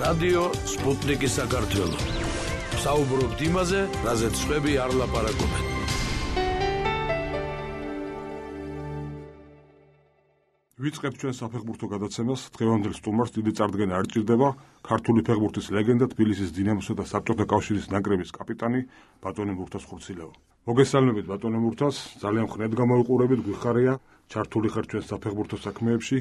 რადიო სპუტნიკის საქართველო. საუბრობთ იმაზე, რაზეც სხვები არ ლაპარაკობენ. ვიწყებთ ჩვენ საფეხბურთო გადაცემას. დღევანდელ სტუმარს დიდი წარდგენა არ ჭირდება. ქართული ფეხბურთის ლეგენდა, თბილისის დინამოსა და საბჭოთა კავშირის ნაკრების კაპიტანი ბატონი მურთაზ ხურცილავა. მოგესალმებით ბატონი მურთაზ, ძალიან ხნედ გამოვიყურებით, გვიხარია, ჩართული ხარ ჩვენ საფეხბურთო საქმეებში.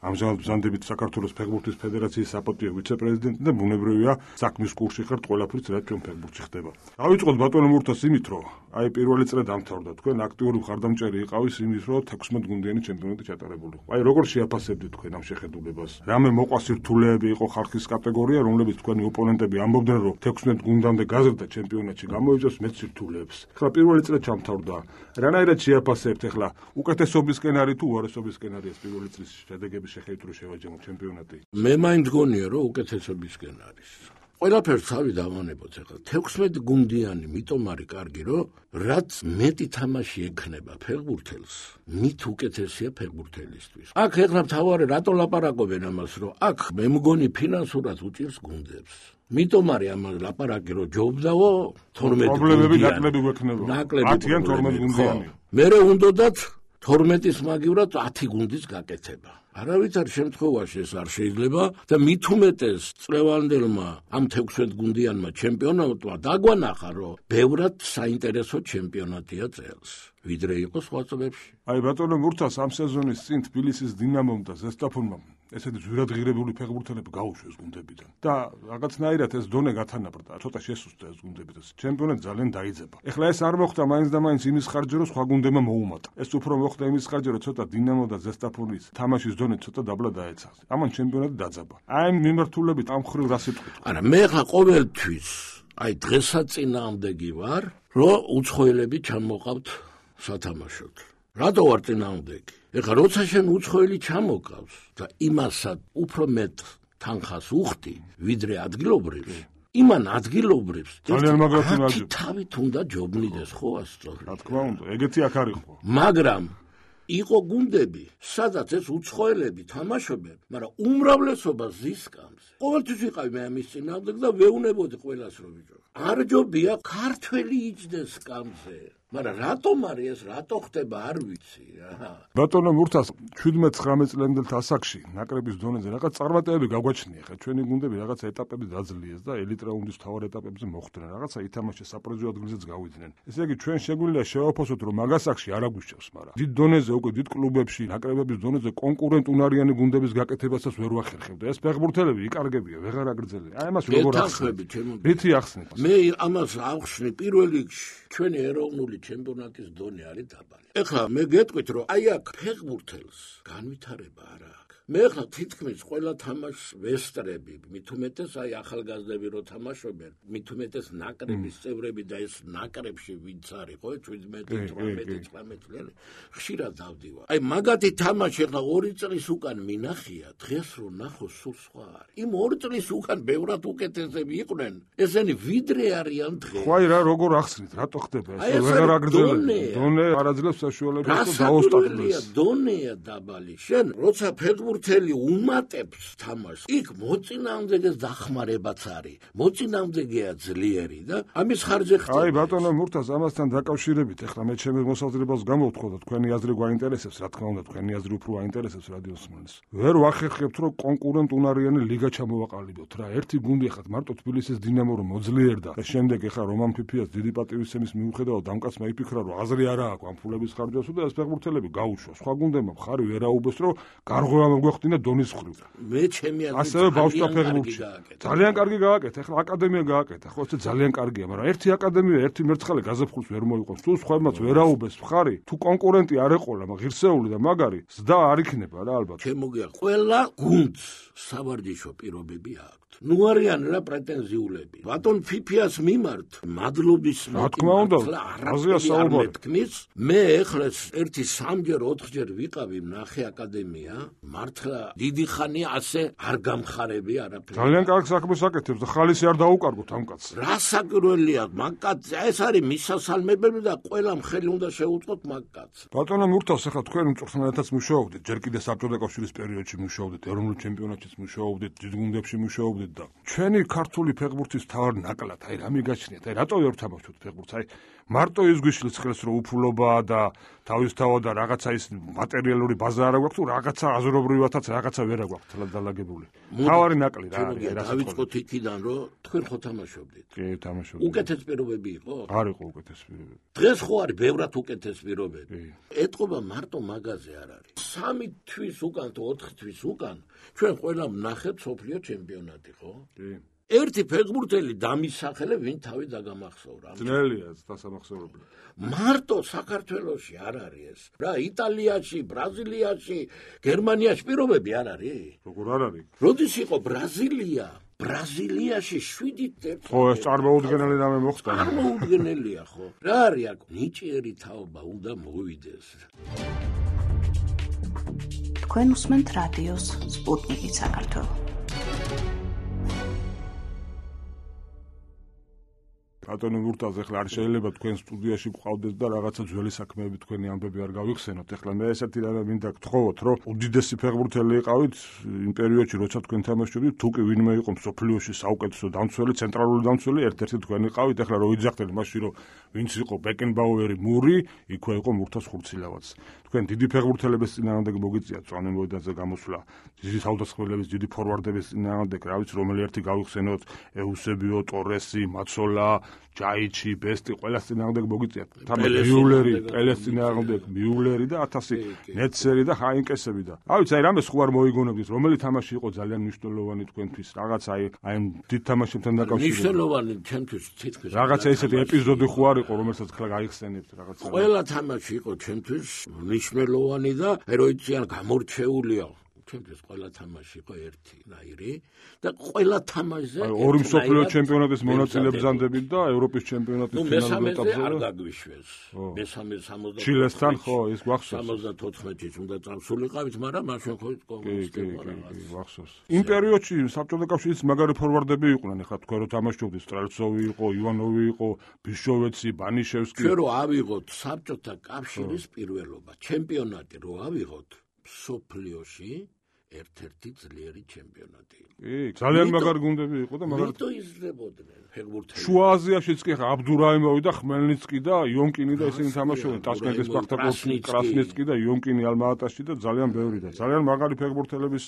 ამჟამად ბრძანდებით საქართველოს ფეხბურთის ფედერაციის საპატიო ვიცე-პრეზიდენტი და ბუნებრივია საქმის კურსში ხართ ყველაფრით, რაც ჩვენ ფეხბურთში ხდება. დავიწყოთ ბატონო მურთაზ იმით, რომ აი პირველი წრე დამთავრდა. თქვენ აქტიური მხარდამჭერი იყავის იმის, რომ 16 გუნდიანი ჩემპიონატი ჩატარებული. აი როგორ შეაფასებდით თქვენ ამ შეხედულებას? რამე მოყვა სირთულეები იყო ხალხის კატეგორია, რომლებიც თქვენი ოპონენტები ამბობდნენ, რომ 16 გუნდამდე გაზრდა ჩემპიონატში გამოიწვევს მეც სირთულეებს. ახლა პირველი წრე ჩამთავრდა. რანაირად შეაფასებთ ახლა უკეთესობისკენ არის თუ უარესობისკენ არის პირველი წრის შედეგები? შეხედვით რომ შევაჯამოთ ჩემპიონატი. მე მაინც გონია რომ უკეთესობისკენ არის. ყველაფერს თავი დავანებოთ ახლა 16 გუნდიანი მიტომ არის კარგი რომ რაც მეტი თამაში ექნება ფეხბურთელს, მით უკეთესია ფეხბურთელისთვის. აქ ახლა თავარი რატო ლაპარაკობენ ამას რომ აქ მე მგონი ფინანსურად უჭირს გუნდებს. მიტომ არის ამას ლაპარაკი რომ ჯობდაო 12 პრობლემები ნაკლები გვექნება. 10-ან 12 გუნდიანი. მერე უნდათ 12-ის მაგივრად 10 გუნდის გაკეთება. არავითარ შემთხვევაში ეს არ შეიძლება და მით უმეტეს წლევანდელმა ამ 16 გუნდიანმა ჩემპიონატმა დაგვანახა, რომ ბევრად საინტერესო ჩემპიონატია წელს, ვიდრე იყო სხვა წლებში. აი ბატონო მურთაზ, ამ სეზონის წინ თბილისის დინამომ და ზესტაფონმა ესეთი ძვირადღირებული ფეხბურთელები გაუშვეს გუნდებიდან და რაღაცნაირად ეს დონე გათანაბრდა, ცოტა შესუსტა ეს გუნდები და ჩემპიონატი ძალიან დაიძება. ეხლა ეს არ მოხდა მაინც და მაინც იმის ხარჯზე, რომ სხვა გუნდებმა მოუმატა. ეს უფრო მოხდა იმის ხარჯზე, რომ ცოტა დინამო და ზესტაფონის თამაშის დონე ცოტა დაბლა დაეცა. ამან ჩემპიონატი დაძაბა. აი ამ მიმართულებით ამ ხრივ რა სიტყვით? არა, მე ხა ყოველთვის აი დღესაც წინააღმდეგი ვარ, რომ უცხოელები ჩამოყავთ სათამაშოდ. რატო ვარ წინააღმდეგი? ეხლა როცა შენ უცხოელი ჩამოყავს და იმასაც უფრო მეტ თანხას უხდი, ვიდრე ადგილობრივს, იმან ადგილობრივს ძალიან მაგრად თავით უნდა ჯობნიდეს, ხო ასწორე. რა თქმა უნდა, ეგეთი აქ არ იყო. მაგრამ იყო გუნდები, სადაც ეს უცხოელები თამაშობენ, მაგრამ უმრავლესობა ზისკამს. ყოველთვის ვიყავი მე ამის წინააღმდეგ და ვეუნებოდი ყველას რომ ბიჭო. არ ჯობია ქართველი იჯდეს სკამზე. მაგრამ რატომ არის ეს, რატო ხდება, არ ვიცი. ბატონო მურთაზ, 17-19 წლამდელ ასაკში ნაკრების დონეზე რაღაც წარმატებები გაგვაჩნია. ხა ჩვენი გუნდები რაღაც ეტაპები დაძლიეს და ელიტ რაუნდის თავარ ეტაპებზე მოხვდნენ. რაღაცა ითამაშეს საპრიზო ადგილზეც გავიდნენ. ესე იგი ჩვენ შეგვიძლია შევაფასოთ, რომ მაგ ასაკში არ აგვიშევს, მაგრამ დიდ დონეზე უკვე დიდ კლუბებში, ნაკრებების დონეზე კონკურენტუნარიანი გუნდების გაკეთებასაც ვერ ვახერხებდა. ეს ფეხბურთელები იკარგებია, ვეღარ აგრძელია. აი ამას როგორ ახსნით? რითი ახსნით? მე ამას ავხსნი პირველ რიგში ჩვენი ეროვნული ჩემპიონატის დონე არის დაბალი. ეხლა მე გეტყვით, რომ აი აქ ფეხბურთელს განვითარება არ აქვს. მე ახლა თითქმის ყველა თამაშს ვესტრები, მით უმეტეს აი ახალგაზრდები რო თამაშობენ, მით უმეტეს ნაკრების წევრები და ეს ნაკრებში ვინც არის, ხო, 17-18 წელი, ხშირად დავდივარ. აი მაგათი თამაში ახლა 2 წლის უკან მინახია, დღეს რო ნახო სულ სხვა არის. იმ 2 წლის უკან ბევრად უკეთესები იყვნენ, ესენი ვიდრე არიან დღეს. ხო აი რა როგორ ახსნით, რატო ხდება ეს? ვეღარ აგრძელებს. დონე არ აძლევს საშუალებას რომ დაუსტატდეს. დონეა დაბალი. შენ როცა ფეხბურთელი უმატებს თამაშს, იქ მოწინააღმდეგეს დახმარებაც არის. მოწინააღმდეგეა ძლიერი და ამის ხარჯზე ხდება. აი ბატონო მურთაზ, ამასთან დაკავშირებით ახლა მე ჩემს მოსაზრებას გამოვთქვა და თქვენი აზრი გვაინტერესებს, რა თქმა უნდა, თქვენი აზრი უფრო აინტერესებს რადიოს მსმენელს. ვერ ვახერხებთ, რომ კონკურენტუნარიანი ლიგა ჩამოვაყალიბოთ რა. ერთი გუნდი ხათ მარტო თბილისის დინამო რომ მოძლიერდა და შემდეგ ახლა რომან ფიფიას დიდი პატივისცემის მიუხედავად ამ კაცმა იფიქრა, რომ აზრი არა აქვს ამ ფულების ხარჯზე და ეს ფეხბურთელები გაუშვა. სხვა გუნდებმა მხარი ვერ აუბეს, რომ გარღვევა მოგვეხდინა დონის ხრივ. მე ჩემი აზრით ასევე ბავშვთა ფეხბურთში ძალიან კარგი გააკეთა. ახლა აკადემია გააკეთა, ხო, ეს ძალიან კარგია, მაგრამ ერთი აკადემია, ერთი მერცხალე გაზაფხულს ვერ მოიყვანს. თუ სხვაებმაც ვერ აუბეს მხარი, თუ კონკურენტი არ ეყოლა, ღირსეული და მაგარი, ზდა არ იქნება რა ალბათ. შემოგია ყველა გუნდს სავარჯიშო პირობები აქვს. ნუ არიან რა პრეტენზიულები. ბატონ ფიფიას მიმართ მადლობის რა თქმა უნდა, აზია საუბარი. მე ეხლა 1-3-4-ჯერ ვიყავი ნახე აკადემია, მართლა დიდი ხანია ასე არ გამხარები არაფერი. ძალიან კარგ საქმეს აკეთებს და ხალისი არ დაუკარგოთ ამ კაცს. რა საკურველია მაგ კაცს, ეს არის მისასალმებელი და ყველამ ხელი უნდა შეუწყოთ მაგ კაცს. ბატონო მურთაზ, ახლა თქვენ უწვრთნელადაც მუშაობდით, ჯერ კიდე საბჭოთა კავშირის პერიოდში მუშაობდით, ეროვნულ ჩემპიონატშიც მუშაობდით, დიდ გუნდებში მუშაობდით. მოვიყვებით და ჩვენი ქართული ფეხბურთის თავარ ნაკლად, აი რა მიგაჩნიათ, აი რატო ვერ თამაშობთ ფეხბურთს, აი მარტო ის გვიშლის ხელს რომ უფულობაა და თავისთავად და რაღაცა ის მატერიალური ბაზა არ აქვს თუ რაღაცა აზრობრივათაც რაღაცა ვერ აქვს დალაგებული. თავარი ნაკლი რა არის, რა დავიწყოთ იქიდან რომ თქვენ ხო თამაშობდით? კი, თამაშობდი. უკეთეს პირობები იყო? არ იყო უკეთეს პირობები. დღეს ხო არის ბევრად უკეთეს პირობები. ეტყობა მარტო მაგაზე არ არის. 3 თვის უკან თუ 4 თვის უკან ჩვენ ყველა ვნახეთ სოფლიო ჩემპიონატი, ხო? კი. ერთი ფეხბურთელი დამისახელე ვინ თავი დაგამახსოვრა. ძნელია დასამახსოვრებლად. მარტო საქართველოში არ არის ეს. რა იტალიაში, ბრაზილიაში, გერმანიაში პირობები არ არის? როგორ არ არის? როდის იყო ბრაზილიაში 7-1. ხო, ეს წარმოუდგენელი რამე მოხდა. წარმოუდგენელია ხო? რა არის აქ? ნიჭიერი თაობა უნდა მოვიდეს. თქვენ უსმენთ რადიოს სპუტნიკი საქართველო. ბატონო მურტაზ, ეხლა არ შეიძლება თქვენ სტუდიაში გყავდეს და რაღაცა ძველი საქმეები თქვენი ამბები არ გავიხსენოთ. ეხლა მე ესეთი რამე მინდა გთხოვოთ, რომ უდიდესი ფეხბურთელი იყავით იმ პერიოდში, როცა თქვენ თამაშობდით, თუ კი ვინმე იყო მსოფლიოში საუკეთესო დამცველი, ცენტრალური დამცველი, ერთ-ერთი თქვენ იყავით. ეხლა რო ვიძახდეთ მაშინ, რომ ვინც იყო ბეკენბაუერი, მური, იქვე იყო მურთაზ ხურცილავაც. თქვენ დიდი ფეხბურთელების წინააღმდეგ მოგიწიათ წვანე მოედანზე გამოსვლა, დიდი თავდასხმელების, დიდი ფორვარდების წინააღმდეგ, რა ვიცი, რომელი ერთი გავიხსენოთ, ეუსებიო, ტორესი, მაცოლა, ჯაიჩი, ბესტი, ყველა წინააღმდეგ მოგიწიათ. მიულერი, პელეს წინააღმდეგ, მიულერი და 1000 ნეცერი და ჰაინკესები და. რა ვიცი, აი რამე სხვა არ მოიგონებდით, რომელი თამაში იყო ძალიან მნიშვნელოვანი თქვენთვის, რაღაც აი დიდ თამაშებთან დაკავშირებით. მნიშვნელოვანი ჩემთვის თითქოს. რაღაცა ესეთი ეპიზოდი ხო არ იყო, რომელსაც ხლა გაიხსენებთ რაღაცა. ყველა თამაში იყო ჩემთვის მნიშვნელოვანი და როიციან გამორჩეულია. ჩემთვის ყველა თამაში იყო ერთნაირი და ყველა თამაშზე ორი მსოფლიო ჩემპიონატის მონაწილე ბრძანდებით და ევროპის ჩემპიონატის ფინალურ ეტაპზე არ გაგვიშვეს. მესამე 60 ჩილესთან ხო ის გვახსოვს 74-ში უნდა წამსულიყავით, მაგრამ მაშინ ხო გვახსოვს. იმ პერიოდში საბჭოთა კავშირის მაგარი ფორვარდები იყვნენ, ეხლა თქვენ რო თამაშობდით, სტრელცოვი იყო, ივანოვი იყო, ბიშოვეცი, ბანიშევსკი. ჩვენ რო ავიღოთ საბჭოთა კავშირის პირველობა, ჩემპიონატი რო ავიღოთ სოფლიოში ერთ-ერთი ძლიერი ჩემპიონატი. კი, ძალიან მაგარი გუნდები იყო და მაგარი მარტო იზრდებოდნენ ფეხბურთელები. შუა აზიაშიც კი ხა აბდურაიმოვი და ხმელნიცკი და იონკინი და ისინი თამაშობდნენ ტაშკენტის სპარტაკოვსკი, კრასნიცკი და იონკინი ალმა-ატაში და ძალიან ბევრი და ძალიან მაგარი ფეხბურთელების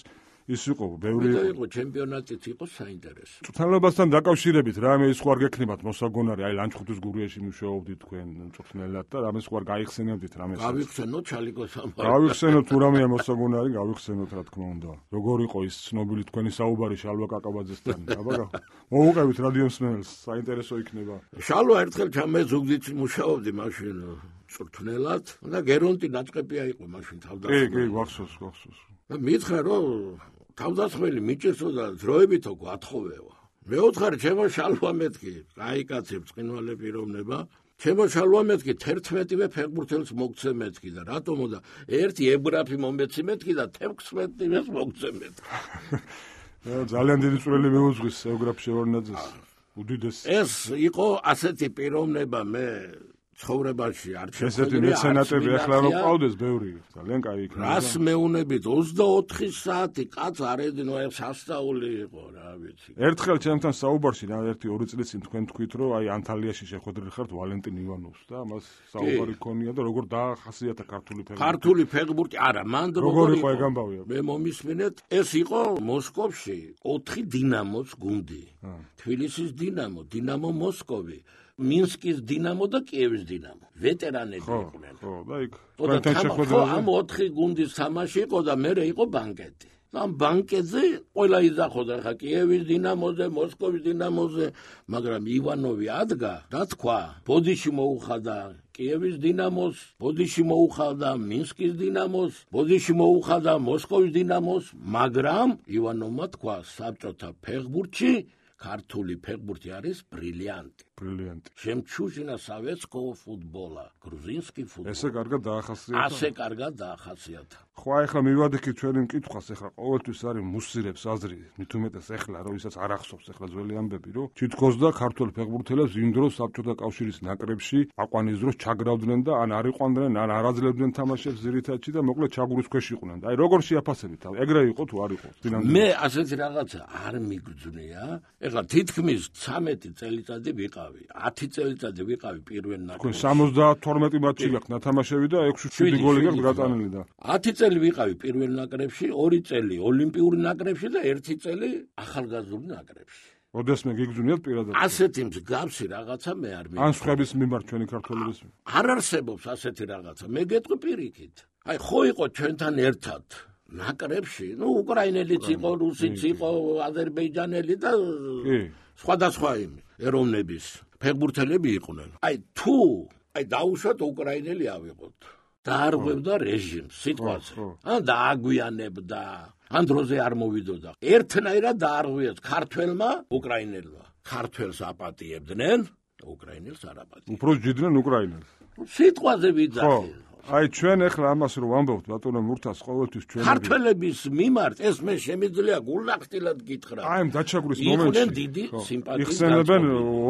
ის იყო, ბევრი იყო ჩემპიონატიც იყო საინტერესო. წვრთნელებასთან დაკავშირებით რამე ის ხო არ გექნებათ მოსაგონარი, აი ლანჩხუთის გურიაში მუშაობდით თქვენ მწვრთნელად და რამე სხვა არ გაიხსენებდით რამეს. გავიხსენოთ ჩალიკოს ამბავი. გავიხსენოთ თუ რამეა მოსაგონარი, გავიხსენოთ რა თქმა უნდა. როგორ იყო ის ცნობილი თქვენი საუბარი შალვა კაკაბაძესთან? აბა მოუყევით რადიო მსმენელს, საინტერესო იქნება. შალვა ერთხელ ჩამე ზუგდიდ მუშაობდი მაშინ მწვრთნელად და გერონტი ნაჭყებია იყო მაშინ თავდასხმელი. კი, გვახსოვს. და მითხრა რომ თავდასხმელი მიჭირსო და ძროებითო გვათხოვევა. მეოთხარი ჩემო შალვა მეთქი, აი კაცი ბრწყინვალე პიროვნება. ჩემო შალვა მეთქი 11-ვე ფეხბურთელს მოგცე მეთქი და რატომო და ერთი ებრაფი მომეცი მეთქი და 16-ვეს მოგცე მეთქი. ძალიან დიდი წვრილი მეუძღვის ებრაფ შევარნაძეს. უდიდესი. ეს იყო ასეთი პიროვნება მე ცხოვრებაში არ შეხედე. ესეთი მეცენატები ახლა რომ ყავდეს ბევრი, ძალიან კაი იქნება. რას მეუნებით 24 საათი კაც არ ედინო, ეს სასწაული იყო, რა ვიცი. ერთხელ ჩემთან საუბარში რა 1-2 წლის წინ თქვენ თქვით, რომ აი ანტალიაში შეხვედრილი ხართ ვალენტინ ივანოვს და მას საუბარი ქონია და როგორ დაახასიათა ქართული ფეხბურთი. ქართული ფეხბურთი, არა, მან როგორ იყო ეგ ამბავი? მე მომისმინეთ, ეს იყო მოსკოვში 4 დინამოს გუნდი. თბილისის დინამო, დინამო მოსკოვი, მინსკის დინამო და კიევის დინამო. ვეტერანები იყვნენ. ხო, და იქ თქვენთან შეხვედრაზე ამ 4 გუნდის თამაში იყო და მე იყო ბანკეტი. ამ ბანკეტზე ყველა იძახოდა ხა კიევის დინამოზე, მოსკოვის დინამოზე, მაგრამ ივანოვი ადგა, რა თქვა, ბოდიში მოუხადა კიევის დინამოს, ბოდიში მოუხადა მინსკის დინამოს, ბოდიში მოუხადა მოსკოვის დინამოს, მაგრამ ივანოვმა თქვა საბჭოთა ფეხბურთში ქართული ფეხბურთი არის ბრილიანტი. ბრილიანტი. Жемчужина советского футбола, грузинский футбол. ესე კარგად დაახასიათა. ასე კარგად დაახასიათა. ხო, ახლა მივადექით ჩვენი მკითხვას, ახლა ყოველთვის არის მუსირებს აზრი, მით უმეტეს ახლა, როდესაც არ ახსოვს ახლა ძველი ამბები, რომ თითქოს და ქართველ ფეხბურთელებს იმ დროს საბჭოთა კავშირის ნაკრებში აყვანის დროს ჩაგრავდნენ და ან არ იყვანდნენ, ან არ აძლევდნენ თამაშებს ძირითადში და მოკლედ ჩაგურის ქვეშ იყვნენ. აი როგორ შეაფასებით? ეგრე იყო თუ არ იყო? მე ასეთი რაღაცა არ მიგძვნია. ეხლა თითქმის 13 წელიწადი ვიყავი, 10 წელიწადი ვიყავი პირველ ნაკრებში. 72 მატჩი გაქვს ნათამაშები და 6-7 გოლი გაქვს გატანილი და 10 წელი ვიყავი პირველ ნაკრებში, 2 წელი ოლიმპიური ნაკრებში და 1 წელი ახალგაზრდული ნაკრებში. ოდესმე გიგძვნიათ პირადად. ასეთი მსგავსი რაღაცა მე არ ან სხვების მიმართ ჩვენი ქართველების. არ არსებობს ასეთი რაღაცა. მე გეტყვი პირიქით. აი ხო იყო ჩვენთან ერთად ნაკრებში, უკრაინელიც იყო, რუსიც იყო, აზერბაიჯანელი და სხვადასხვა ეროვნების ფეხბურთელები იყვნენ. აი თუ დაუშვათ უკრაინელი ავიღოთ. დაარღვევდა რეჟიმს სიტყვაზე. ან დააგვიანებდა, ან დროზე არ მოვიდოდა. ერთნაირად დაარღვიეს ქართველმა უკრაინელმა. ქართველს აპატიებდნენ, უკრაინელს არ აპატიებდნენ. უფრო ჯიდნენ უკრაინელს. სიტყვაზე ვიძახი. აი ჩვენ ახლა ამას რო ვამბობთ ბატონო მურთას ყოველთვის ჩვენ ქართველების მიმართ ეს მე შემიძლია გულახდილად გითხრა. აი ამ დაჩაგურის მომენტში იყვნენ დიდი სიმპათიის იხსენებენ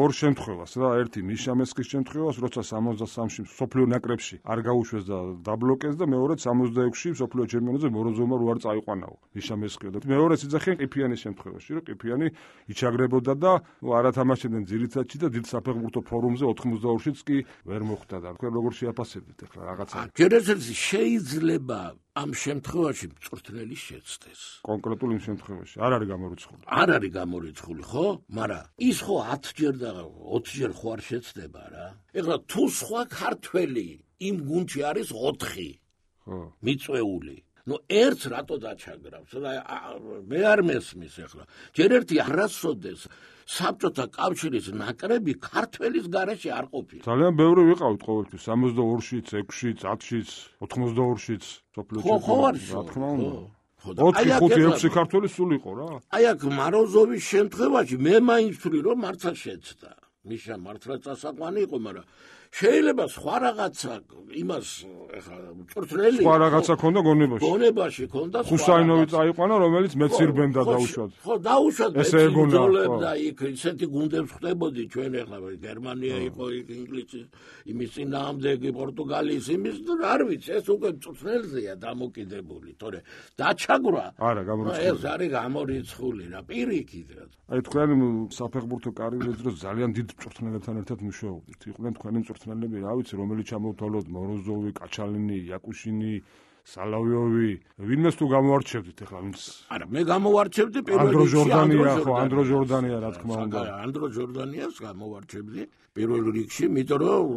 ორ შემთხვევას რა, ერთი მიშა მესკის შემთხვევას, როცა 63-ში სოფლიო ნაკრებში არ გაუშვეს და დაბლოკეს და მეორედ 66-ში სოფლიო ჩემპიონატზე მოროზოვმა რო არ წაიყვანაო მიშა მესკი და მეორედ იძახენ ყიფიანის შემთხვევაში, რომ ყიფიანი იჩაგრებოდა და არა თამაშობდნენ ძირითადში და დიდ საფეხბურთო ფორუმზე 82-შიც კი ვერ მოხვდა და თქვენ როგორ შეაფასებთ ახლა რაღაცა ჯერჯერობით შეიძლება ამ შემთხვევაში მწვრთნელი შეცდეს. კონკრეტულ იმ შემთხვევაში არ არის გამორიცხული. არ არის გამორიცხული, ხო? მაგრამ ის ხო 10 ჯერ და 20 ჯერ ხო არ შეცდება რა. ეხლა თუ სხვა ქართველი იმ გუნდში არის 4, ხო. მიწვეული. ერთს რატო დაჩაგრავს? მე არ მესმის ახლა. ჯერ ერთი არასოდეს საბჭოთა კავშირის ნაკრები ქართველის გარეშე არ ყოფილა. ძალიან ბევრი ვიყავით ყოველთვის 62-შიც, 6-შიც, 10-შიც, 82-შიც სოფლიო ჩემპიონატში. რა თქმა უნდა. 4-5-6 ქართველი სულ იყო რა. აი აქ მაროზოვის შემთხვევაში მე მაინც ვთვლი რომ მართლა შეცდა. მიშა მართლა წასაყვანი იყო, მაგრამ შეიძლება სხვა რაღაცა იმას ეხლა მწვრთნელი სხვა რაღაცა ქონდა გონებაში ქონდა ხუსაინოვი წაიყვანა რომელიც მეცირბენდა დაუშვათ ხო დაუშვათ ესე ეგონა და იქ ისეთი გუნდებს ხდებოდი ჩვენ ეხლა გერმანია იყო ინგლისი იმის წინააღმდეგი პორტუგალიის იმის არ ვიცი ეს უკვე მწვრთნელზეა დამოკიდებული თორე დაჩაგვრა არა გამორიცხული ეს არის გამორიცხული რა პირიქით რა აი თქვენ საფეხბურთო კარიერაზე დროს ძალიან დიდ მწვრთნელებთან ერთად მუშაობდით იყვნენ თქვენი მწვრთნელები რა ვიცი რომელიც ჩამოვთვალოთ მოროზოვი კაჩალინი იაკუშინი სალავიოვი ვინმეს თუ გამოარჩევდით ახლა ვინც არა მე გამოვარჩევდი პირველ რიგში ანდრო ჟორდანია რა თქმა უნდა ანდრო ჟორდანიას გამოვარჩევდი პირველ რიგში იმიტომ რომ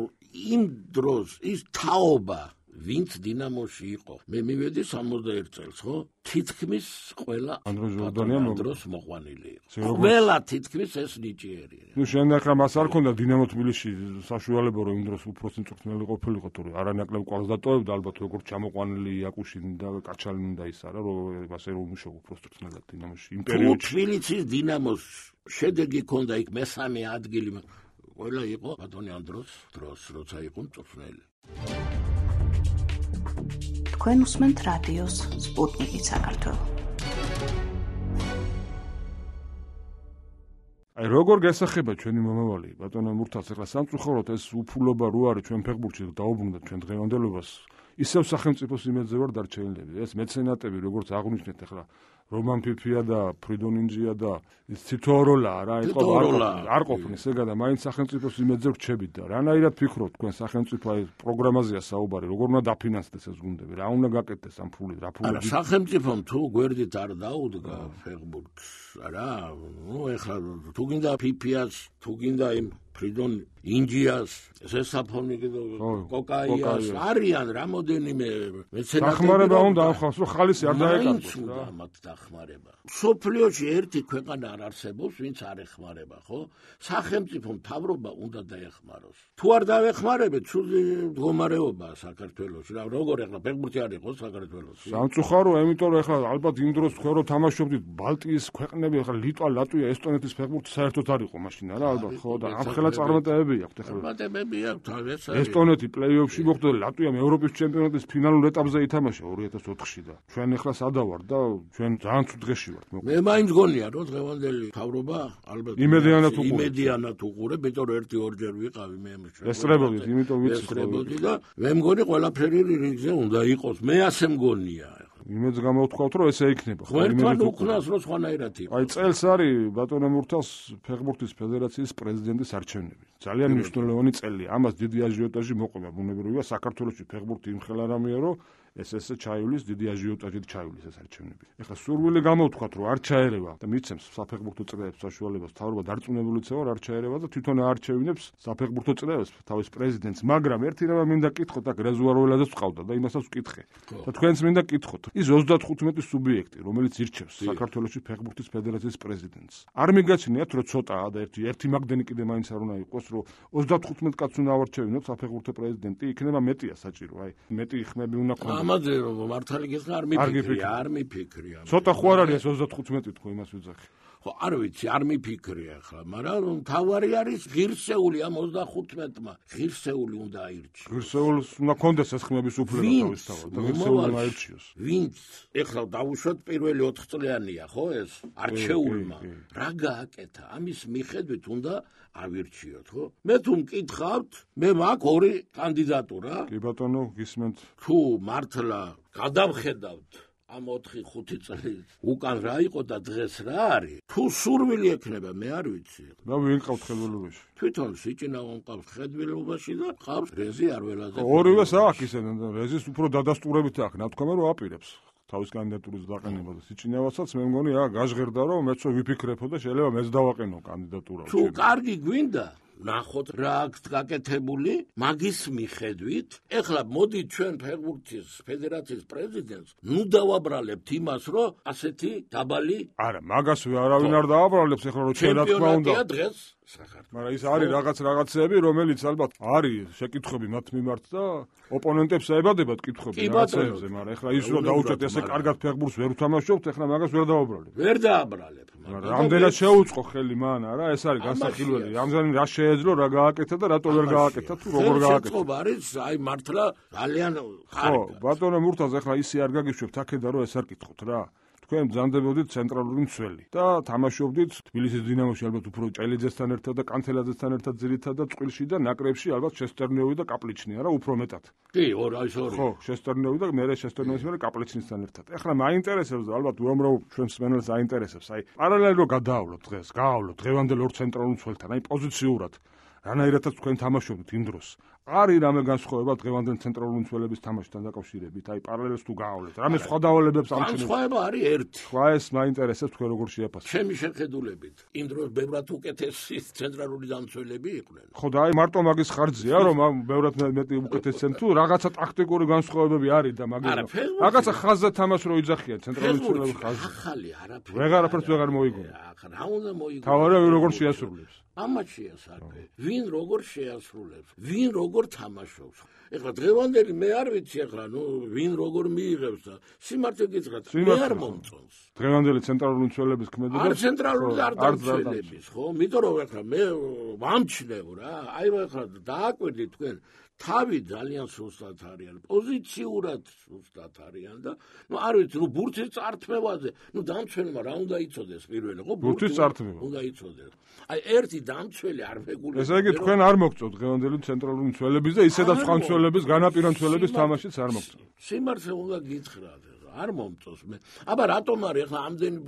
იმ დროს ის თაობა ვინც დინამოში იყო მე მივედი 61 წელს ხო თითქმის ყველა ანდრო ჟორდანია დროს მოყვანილი იყო ყველა თითქმის ეს ნიჭიერი ნუ შენ ახლა მას არ ქონდა დინამო თბილისში საშუალება რომ იმ დროს უფრო მწვრთნელი ყოფილიყო თორე არანაკლებ ყავს დატოვებდა ალბათ როგორც ჩამოყვანილი იაკუშინი და კაჩალინი და ის არა რომ ასე რომ მუშაობ უფრო მწვრთნელად დინამოში იმ პერიოდში თბილისის დინამოს შედეგი ქონდა იქ მესამე ადგილი ყველა იყო ბატონი ანდროს დროს როცა იყო მწვრთნელი თქვენ უსმენთ რადიოს სპუტნიკი საქართველო. აი როგორ გასახება ჩვენი მომავალი ბატონო მურთას ახლა სამწუხაროდ ეს უფულობა რო არის ჩვენ ფეხბურთში დაუბრუნდათ ჩვენ დღევანდელობას ისევ სახელმწიფოს იმედზე ვარ დარჩენილები ეს მეცენატები როგორც აღვნიშნეთ ახლა რომან ფიფია და ფრიდონ ინჯია და ცითოროლა რა იყო არ ყოფნის ეგა და მაინც სახელმწიფოს იმედზე რჩებით და რანაირად ფიქრობთ თქვენ სახელმწიფო აი პროგრამაზეა საუბარი როგორ უნდა დაფინანსდეს ეს გუნდები რა უნდა გაკეთდეს ამ ფულით რა ფული არა სახელმწიფომ თუ გვერდით არ დაუდგა ფეხბურთს რა ნუ ეხლა თუ გინდა ფიფიას თუ გინდა იმ ფრიდონ ინჯიას ზესაფონიკი და კოკაიას არიან რამოდენიმე მეცენატები დახმარება უნდა ახავს რომ ხალისი არ დაეკარგოს რა მათ დახმარება სოფლიოში ერთი ქვეყანა არ არსებობს ვინც არ ეხმარება ხო სახელმწიფო მთავრობა უნდა დაეხმაროს თუ არ დაეხმარებთ ცუდი მდგომარეობაა საქართველოში რა როგორ ახლა ფეხბურთი არ იყო საქართველოში სამწუხარო იმიტომ რომ ახლა ალბათ იმ დროს თქვენ რომ თამაშობდით ბალტიის ქვეყნები ახლა ლიტვა ლატვია ესტონეთის ფეხბურთი საერთოდ არ იყო მაშინ რა ალბათ, ხო და ამ ხელა წარმატებები აქვს ახლა. წარმატებები აქვს, ეს ესტონეთი პლეი-ოფში მოხვდა, ლატვიამ ევროპის ჩემპიონატის ფინალურ ეტაპზე ითამაშა 2004-ში და ჩვენ ახლა სადა ვართ და ჩვენ ძალიან ცუდ დღეში ვართ. მე მაინც გონია რომ დღევანდელი თავრობა ალბათ იმედიანად უყურებ, იმიტომ რომ 1-2 ვიყავი მე ესწრებოდით, იმიტომ ვიცი და მე მგონი ყველაფერი რიგზე უნდა იყოს. მე ასე მგონია. იმედს გამოვთქვათ რომ ესე იქნება. ერთმან უკნას რომ სხვანაირად იყოს. აი წელს არის ბატონო მურთას ფეხბურთის ფედერაციის პრეზიდენტის არჩევნები. ძალიან მნიშვნელოვანი წელია. ამას დიდი აჟიოტაჟი მოყვება ბუნებრივია საქართველოში ფეხბურთი იმხელა რამეა რომ ეს ჩაივლის დიდი აჟიოტაჟით ჩაივლის ეს არჩევნები. ეხლა სურვილი გამოვთქვათ რომ არ ჩაერევა და მიცემს საფეხბურთო წრეებს საშუალებას თავრობა დარწმუნებულიცაა არ ჩაერევა და თვითონ არჩევინებს საფეხბურთო წრეებს თავის პრეზიდენტს, მაგრამ ერთი რამ მინდა კითხოთ აქ რეზერვუარველადაც ვყავდა და იმასაც ვკითხე. და თქვენც მინდა კითხოთ. ის 35 სუბიექტი, რომელიც ირჩევს საქართველოში ფეხბურთის ფედერაციის პრეზიდენტს. არ მიგაჩნიათ რომ ცოტაა და ერთი მაგდენი კიდე მაინც არ უნდა იყოს რომ 35 კაცს უნდა ავარჩევინოთ საფეხბურთო პრეზიდენტი, იქნება მეტია საჭირო. აი მეტი ხმები უნდა ქონდეს. ამაზე რომ მართალი გიხსნა არ მიფიქრია. ცოტა ხო არ არის 35 თქო იმას ვიძახი. ხო არ ვიცი, არ მიფიქრია ახლა, მაგრამ თავარი არის ღირსეული ამ 35-მა. ღირსეული უნდა აირჩიოს. ღირსეულს უნდა კონდეს ეს ხმების უფლება თავისთავად და ღირსეული აირჩიოს. ვინც ეხლა დავუშვათ პირველი 4 წლიანია, ხო ეს? არჩეულმა. რა გააკეთა? ამის მიხედვით უნდა ავირჩიოთ, ხო? მე თუ მკითხავთ, მე მაქვს 2 კანდიდატურა. კი ბატონო, გისმენთ. თუ მართლა გადავხედავთ ამ 4-5 წლის უკან რა იყო და დღეს რა არის? თუ სურვილი ექნება, მე არ ვიცი. და ვინ ყავთ ხელოვნებაში? თვითონ სიჭინაო ყავს ხელოვნებაში და ყავს რეზი არველაძე. ორივეს აქვს ისე და რეზის უფრო დადასტურებით აქვს, ნათქვამი რომ აპირებს. თავის კანდიდატურის დაყენება და სიჭინავასაც მე მგონი გაჟღერდა რომ მეც ვიფიქრებო და შეიძლება მეც დავაყენო კანდიდატურა. თუ კარგი გვინდა ნახოთ რა აქვს გაკეთებული მაგის მიხედვით. ეხლა მოდით ჩვენ ფეხბურთის ფედერაციის პრეზიდენტს ნუ დავაბრალებთ იმას რომ ასეთი დაბალი არა მაგას არავინ არ დააბრალებს ეხლა რომ ჩვენ რა თქმა უნდა დღეს საქართველოს. მაგრამ ის არის რაღაცეები რომელიც ალბათ არის შეკითხვები მათ მიმართ და ოპონენტებს აებადებათ კითხვები რაღაცეებზე, მაგრამ ეხლა ის რომ დაუჭერთ ესე კარგად ფეხბურთს ვერ უთამაშობთ, ეხლა მაგას ვერ დავაბრალებ. ვერ დააბრალებ. რამდენად შეუწყო ხელი მან, არა, ეს არის განსახილველი. რამდენი რა შეეძლო, რა გააკეთა და რატო ვერ გააკეთა თუ როგორ გააკეთა. შეწყობა არის, აი მართლა ძალიან ხარ. ხო, ბატონო მურთაზ ეხლა ისე არ გაგიშვებთ აქედა რომ ეს არ კითხოთ რა. თქვენ ბრძანდებოდით ცენტრალური მცველი და თამაშობდით თბილისის დინამოში ალბათ უფრო ჭელიძესთან ერთად და კანთელაძესთან ერთად ძირითადად და წყვილში და ნაკრებში ალბათ შესტერნიოვი და კაპლიჩნი არა უფრო მეტად. კი, აი ორი. ხო, შესტერნიოვი და მე შესტერნიოვის მე კაპლიჩნისთან ერთად. ეხლა მაინტერესებს ალბათ უამრავ ჩვენ მსმენელს აინტერესებს. აი პარალელურად რო გადაავლოთ დღეს, გაავლოთ დღევანდელ ორ ცენტრალურ მცველთან, აი პოზიციურად რანაირადაც თქვენ თამაშობთ იმ დროს. არის რამე განსხვავება დღევანდელ ცენტრალურ მცველების თამაშთან დაკავშირებით? აი პარალელს თუ გაავლეთ. რამე სხვა დავალებებს ამჩნევთ? განსხვავება არის ერთი. სხვა ეს მაინტერესებს თქვენ როგორ შეაფასებთ? ჩემი შეხედულებით, იმ დროს ბევრად უკეთესი ცენტრალური დამცველები იყვნენ. ხო და აი მარტო მაგის ხარჯზია რომ ბევრად მეტი უკეთესენ თუ რაღაცა ტაქტიკური განსხვავებები არის და მაგის რაღაცა ხაზზე თამაშ რო იძახიან ცენტრალური მცველების ხაზზე. ახალი არაფერი. ვეღარაფერს ვეღარ მოიგონა. რა უნდა მოიგონა? თავარა როგორ შეასრულებს? ამათ შეასრულებს. ვინ როგორ შეასრულებს? ვინ როგორ თამაშობს? ეხლა დღევანდელი მე არ ვიცი ეხლა ნუ ვინ როგორ მიიღებს და სიმართლე გითხრათ მე არ მომწონს. დღევანდელი ცენტრალური მცველების ქმედება არ ცენტრალური არ დამცველების ხო? იმიტომ რომ ეხლა მე ვამჩნევ რა. აი ეხლა დააკვირდით თქვენ თავი ძალიან სუსტად არიან, პოზიციურად სუსტად არიან და ნუ არ ვიცი, ნუ ბურთის წართმევაზე, ნუ დამცველმა რა უნდა იცოდეს პირველი, ხო? ბურთის წართმევა უნდა იცოდეს. აი ერთი დამცველი არ მეგულებს. ესე იგი თქვენ არ მოგწოთ დღევანდელი ცენტრალური მცველების და ისედაც სხვა მცველების, განაპირა მცველების თამაშიც არ მოგწოთ. სიმართლე უნდა გითხრათ, არ მომწონს მე. აბა რატომ არის ახლა ამდენი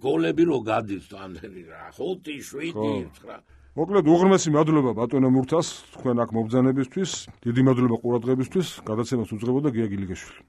გოლები რო გადის ამდენი რა, 5, 7, 9 მოკლედ უღრმესი მადლობა ბატონო მურთას თქვენ აქ მობრძანებისთვის, დიდი მადლობა ყურადღებისთვის, გადაცემას უძღვებოდა გია გილიგაშვილი.